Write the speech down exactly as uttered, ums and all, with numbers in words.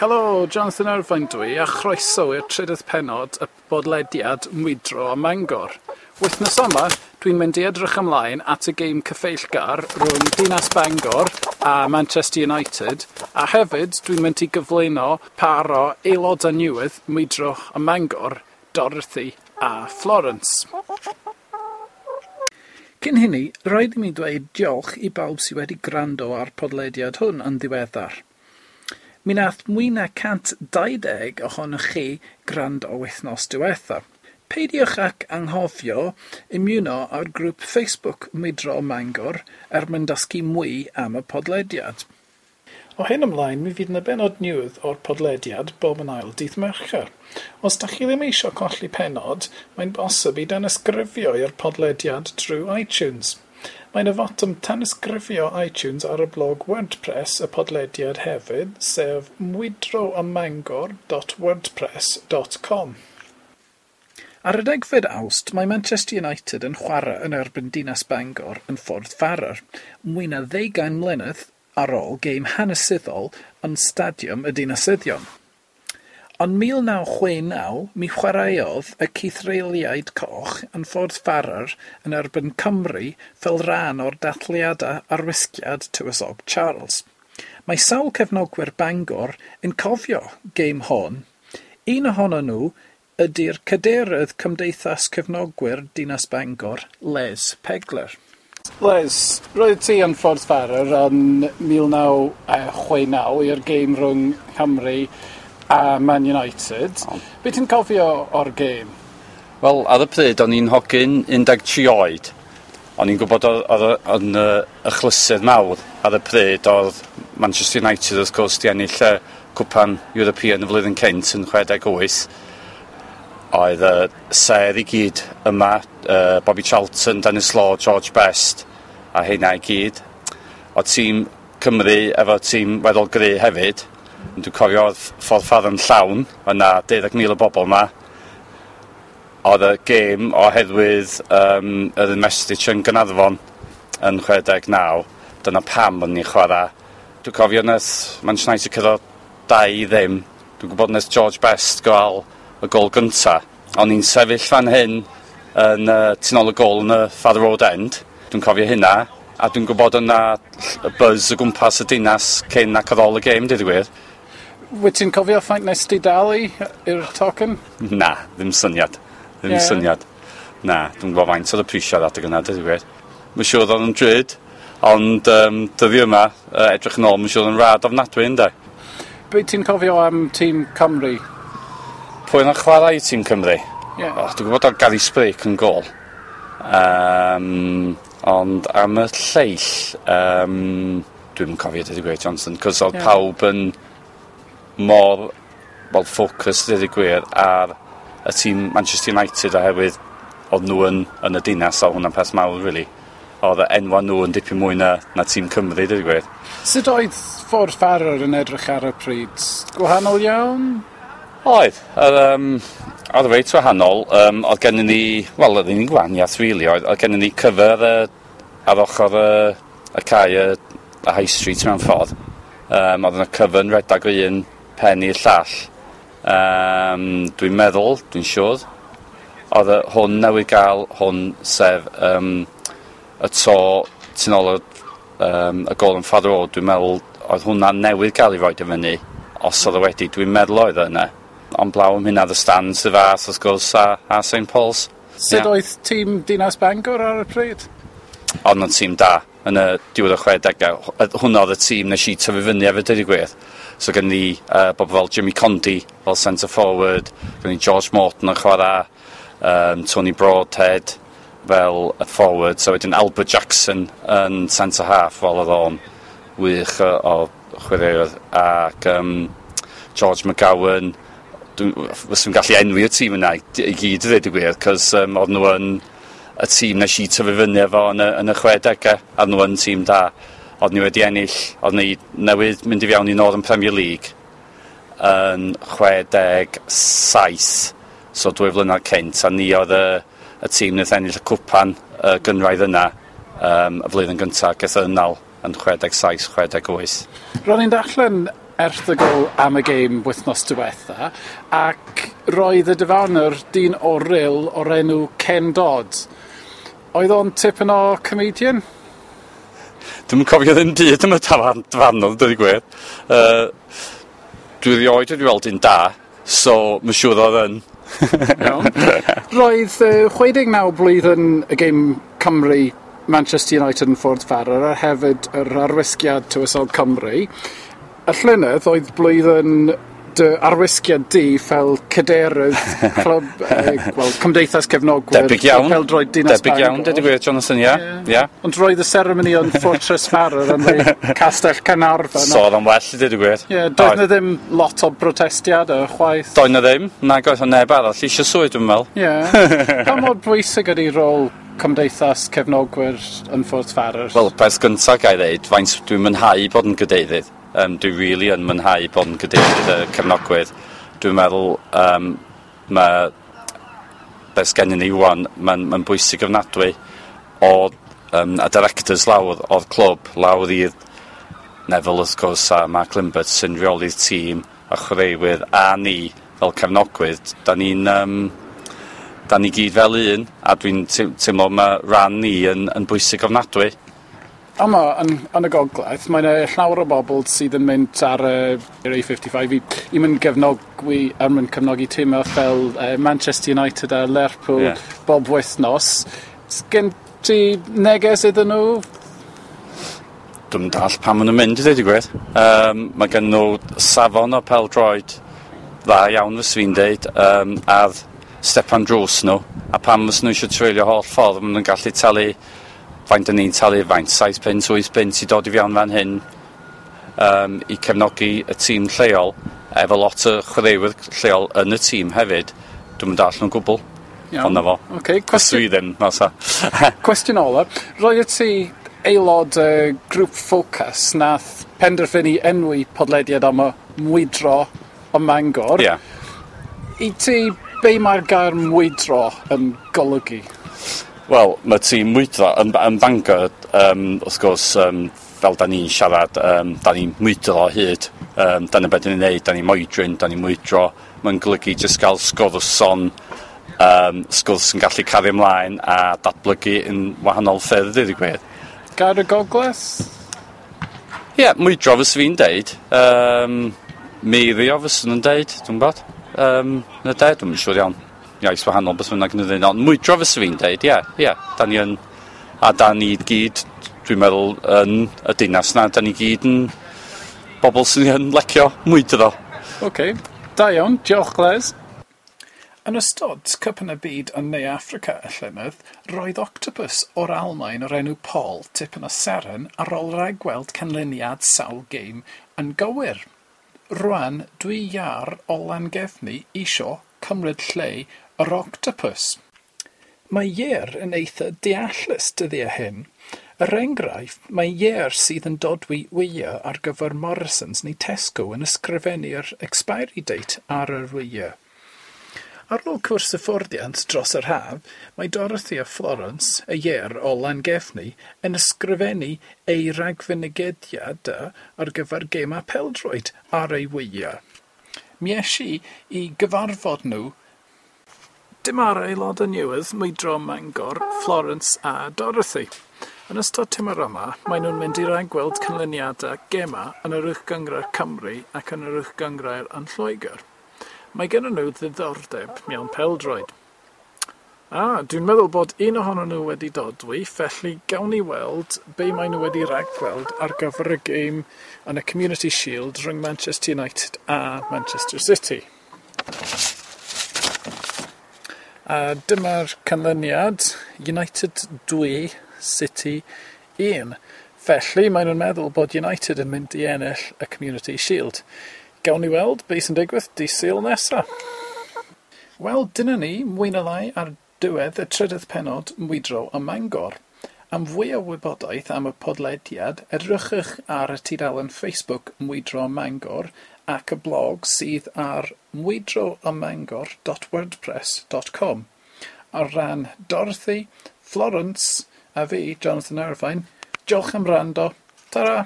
Helo, Jonathan Irvine dwi, a chroeso i'r trydydd pennod y bodlediad Mwydro a Mangor. Wythnos yma, dwi'n mynd i edrych ymlaen at y gêm cyfeillgar rhwng Dinas Bangor a Manchester United, a hefyd dwi'n mynd i gyflwyno par o aelodau newydd Mwydro a Mangor, Dorothy a Florence. Cyn hynny, rhaid i mi dweud diolch i bawb sydd wedi gwrando ar podlediad hwn yn ddiweddar. Mi nath mwy na cant dau deg ohonoch chi gwrando wythnos diwetha. Peidiwch ac anghofio ymuno â'r grŵp Facebook Mwydro Mangor er mwyn dysgu mwy am y podlediad. O hyn ymlaen, mi fydd yna bennod newydd o'r podlediad bob yn ail dydd Mercher. Os da chi ddim eisiau colli pennod, mae'n bosib i danysgrifio i'r podlediad drwy iTunes. Mae yna fotwm tanysgrifio iTunes ar y blog WordPress y podlediad hefyd, sef mwydroamangor dot wordpress dot com. Ar y degfed Awst, mae Manchester United yn chwarae yn erbyn Dinas Bangor yn Ffordd Farrar, mwy na ddeugain mlynedd ar ôl gêm hanesyddol yn Stadiwm y Dinasyddion. Ond mil naw chwe naw, mi chwaraeodd y Cythreuliaid Coch yn Ffordd Farrar yn erbyn Cymru fel rhan o'r dathliadau arwisgiad Tywysog Charles. Mae sawl cefnogwyr Bangor yn cofio gêm hon. Un ohonyn nhw ydy'r cadeirydd Cymdeithas Cefnogwyr Dinas Bangor, Les Pegler. Les, roedd ti yn Ffordd Farrar yn mil naw chwe naw i'r gêm rhwng Cymru a Man United. O. Be ti'n cofio o'r gêm? Wel, ar y pryd, o'n i'n hogyn un deg tri oed. O'n i'n gwybod oedd, oedd, oedd yn, yy, achlysur mawr ar y pryd oedd Manchester United, wrth gwrs, di ennill y Cwpan European y flwyddyn cynt yn chwe deg wyth. Oedd y sêr i gyd yma, yy, Bobby Charlton, Denis Law, George Best, a heina i gyd. Oedd tîm Cymru efo tîm weddol gry hefyd. Dwi'n cofio oedd Ffordd Farrar yn llawn, oedd 'na deuddeg mil o bobl yma. Oedd y gêm oherwydd, yym, yr investiture yn Gaernarfon yn chwe deg naw, dyna pam o'n ni'n chwarae. Dwi'n cofio nes Manchester United curo dau i ddim. Dwi'n gwybod nes George Best gael y gôl gynta. O'n i'n sefyll fan hyn yn, yy, tu nôl y gôl yn y Farrer Road End. Dwi'n cofio hynna, a dwi'n gwybod yna y buzz o gwmpas y dinas cyn ac ar ôl y gêm, deud y gwir. Wyt ti'n cofio faint nes ti dalu i'r tocyn? Na, ddim syniad. Ddim Ie. syniad. Na, dwi'n gwybod faint oedd y prisiau adeg yna, deud y gwir. Mae'n siŵr oedd o'n drud, ond, yym, dyddi yma, yy, edrych yn ôl, mae'n siŵr oedd yn rhad ofnadwy, ynde? Be ti'n cofio am tîm Cymru? Pwy yn chwarae i tîm Cymru? Ie. O, dwi'n gwybod oedd Gary Sprake yn gôl. Yym, ond am y lleill, yym, dwi'm yn cofio, deud y gwir, Johnson, cos oedd Ie. pawb yn mor, well, focus, deud y gwir, ar y tîm Manchester United, oherwydd oedd nhw yn, yn y dinas, a hwnna'n peth mawr, really. Oedd y enwa nhw yn dipyn mwy na, na tîm Cymru, deud y gwir. Sut oedd Ffordd Farrar yn edrych ar y pryd? Gwahanol iawn? Oedd. Oedd, yym, oedd reit wahanol. Yym, oedd gennym ni, wel, oedd ni'n gwahaniaeth, really. Oedd, oedd gennym ni cyfer, yy, ar ochr y, y cae, y, y High Street mewn ffordd. Yym, oedd yna cyfer yn redag o un pen i'r llall. Yym, dwi'n meddwl, dwi'n siŵr, oedd y, hwn newydd gael hwn, sef, yym, y to tu nôl y, yym, y gôl yn Farrer Road, dwi'n meddwl oedd hwnna newydd gael ei roid i fyny, os oedd o wedi, dwi'n meddwl oedd o yna. Ond blaw am hynna, the stands y fath, wrth gwrs, a, a Saint Paul's. Sut Ie. oedd tîm Dinas Bangor ar y pryd? Oedd nhw'n tîm da yn y diwedd y chwedegau. Hwnna oedd y tîm nes i tyfu fyny efo, deud y gwir. So gen ni, uh, bobl fel Jimmy Condy fel centre forward, gen ni George Morton yn chwarae, um, Tony Broadhead fel y forward, so wedyn Albert Jackson yn centre half, fel oedd o'n wych o, o chwaraewr, ac, um, George McGowan. Dwi'n fyswn gallu enwi y tîm yna i, i gyd, i ddweud y gwir, cos um, oedd nhw yn y tîm nes i tyfu fyny efo yn y, yn y chwedegau, a nhw yn tîm da. Oedd ni wedi ennill, oedd ni newydd mynd i fewn i Northern Premier League yn chwe deg saith, so dwy flynedd cynt, a ni oedd y, y tîm wnaeth ennill y cwpan y gynraedd yna, um, y flwyddyn gyntaf, gath y ynnal yn chwe deg saith, chwe deg wyth. Ro'n i'n darllen erthygl am y gêm wythnos diwetha, ac roedd y dyfarnwr dyn o Ryl o'r enw Ken Dodd. Oedd o'n tipyn o comedian? Dwi'm yn cofio ddim byd am y tafarn dyfarnwr, dweud y gwir. Uh, dwi erioed wedi weld un da, so mae'n siŵr oedd yn. Iawn. Roedd uh, chwe deg naw blwyddyn y gêm Cymru Manchester United yn Ffordd Farrar a hefyd yr arwisgiad Tywysog Cymru. Y llynedd oedd blwyddyn dy arwisgiad di fel cadeirydd clwb, eh, wel, Cymdeithas Cefnogwyr Debyg iawn. Pêl-droed Dinas Debyg iawn, Bangor. dweud y gwir, Jonathan, ia. Ie. Ia. Ond roedd y seremoni yn Fortress Farrar yn y Castell Caernarfon. So oedd o'n well, i dweud y gwir. Ie, doedd na ddim lot o protestiadau chwaith. Doedd na ddim, nag oedd o neb arall eisiau swydd, dwi'n meddwl. Ie. Pa mor bwysig ydy rôl Cymdeithas Cefnogwyr yn Ffordd Farrar? Wel, peth gyntaf ga i ddeud, faint dwi'n mwynhau bod yn gadeirydd. Um, dwi really yn mwynhau bod yn gadeirydd y cefnogwyr. Dwi'n meddwl, um, mae beth sgennyn ni wan, mae'n ma bwysig ofnadwy o um, a directors lawr o'r clwb, lawr i'r Neville wrth gwrs a Mark Limbert sy'n rheoli'r tîm a chwaraewyr a ni fel cefnogwyr, da ni'n um, da ni gyd fel un a dwi'n te- teimlo mae ran ni yn, yn bwysig ofnadwy. Yma, yn, yn y gogledd, mae yna llawer o bobl sydd yn mynd ar y yr A fifty-five i, i mynd gefnogwi, er mwyn cefnogi tîmau fel uh, Manchester United a Lerpwl Ie. bob wythnos. Sgen ti neges iddyn nhw? Dwi'm yn dallt pam maen nhw'n mynd i ddweud y gwir. Um, mae gen nhw safon o pêl-droed dda iawn fyswn i'n deud, um, ar stepan drws nhw, a pam fyswn nhw eisiau treulio holl ffordd, maen nhw'n gallu talu faint da ni'n talu, faint, saith punt, wyth punt i dod i fewn fan hyn um, i cefnogi y tîm lleol, efo lot o chwaraewyr lleol yn y tîm hefyd. Dwi'm yn dallt nhw'n gwbl. Iawn. Ond na fo. Ocê, cwestiwn, Dwi ddim, na sa. cwestiwn ola. Roedd ti aelod uh, grŵp Focus nath penderfynu enwi podlediad am y mwydro o Mangor. Ie. I ti, be mae'r gair mwydro yn golygu? Wel, mae tîm mwydro yn, yn Bangor, um, wrth gwrs, um, fel da ni'n siarad, um, da ni'n mwydro o hyd. Um, dyna beth ni'n neud, da ni'n moedrin, da ni'n mwydro. Mae'n golygu jyst gael sgwrs on, um, sgwrs yn gallu cario ymlaen a datblygu yn wahanol ffyrdd, i ddweud y gwir. Gair y gogledd? Ie, yeah, mwydro fyswn i'n deud. Um, meirio fyswn nhw'n deud, dwi'n gwybod. Um, na de, dwi'n siŵr iawn. Iaith wahanol beth bynnag yn dweud. Ond mwydro fyswn i'n deud, ie, ie. Da ni yn, a da ni gyd, dwi'n meddwl, yn y dinas na, da ni gyd yn bobl sy'n yn licio mwydro. Oce, da iawn, diolch Les. Yn ystod Cwpan y Byd yn Ne Affrica y llynedd, roedd octopus o'r Almaen o'r enw Paul tipyn o seren ar ôl rhagweld canlyniad sawl gêm yn gywir. Rwan, dwi iâr o Langefni isio cymryd lle yr octopus. Mae ieir yn eitha deallus dyddiau hyn. Er enghraifft, mae ieir sydd yn dodwy wyau ar gyfer Morrisons neu Tesco yn ysgrifennu'r expiry date ar yr wyau. Ar ôl cwrs hyfforddiant dros yr haf, mae Dorothy a Florence, y ieir o Langefni, yn ysgrifennu ei ragfynegiadau ar gyfer gemau pêl-droed ar ei wyau. Mi es i i gyfarfod nhw. Dyma'r aelodau newydd, Mwydro Mangor, Florence a Dorothy. Yn ystod tymor yma, maen nhw'n mynd i ragweld canlyniadau gemau yn yr Uwch Gynghrair Cymru ac yn yr Uwch Gynghrair yn Lloegr. Mae gennyn nhw ddiddordeb mewn pêl-droed. Ah, dwi'n meddwl bod un ohonyn nhw wedi dodwy, felly gawn ni weld be maen nhw wedi ragweld ar gyfer y gêm yn y Community Shield rhwng Manchester United a Manchester City. A dyma'r canlyniad, United dwy, City un. Felly, maen nhw'n meddwl bod United yn mynd i ennill y Community Shield. Gawn ni weld beth sy'n digwydd dydd Sul nesa. Wel, dyna ni, mwy na lai ar diwedd y trydydd pennod Mwydro ym Mangor. Am fwy o wybodaeth am y podlediad, edrychwch ar y tudalen Facebook Mwydro ym Mangor ac y blog sydd ar mwydro ym mangor dot wordpress dot com. Ar ran Dorothy, Florence a fi, Jonathan Irvine, diolch am wrando. Ta-ra!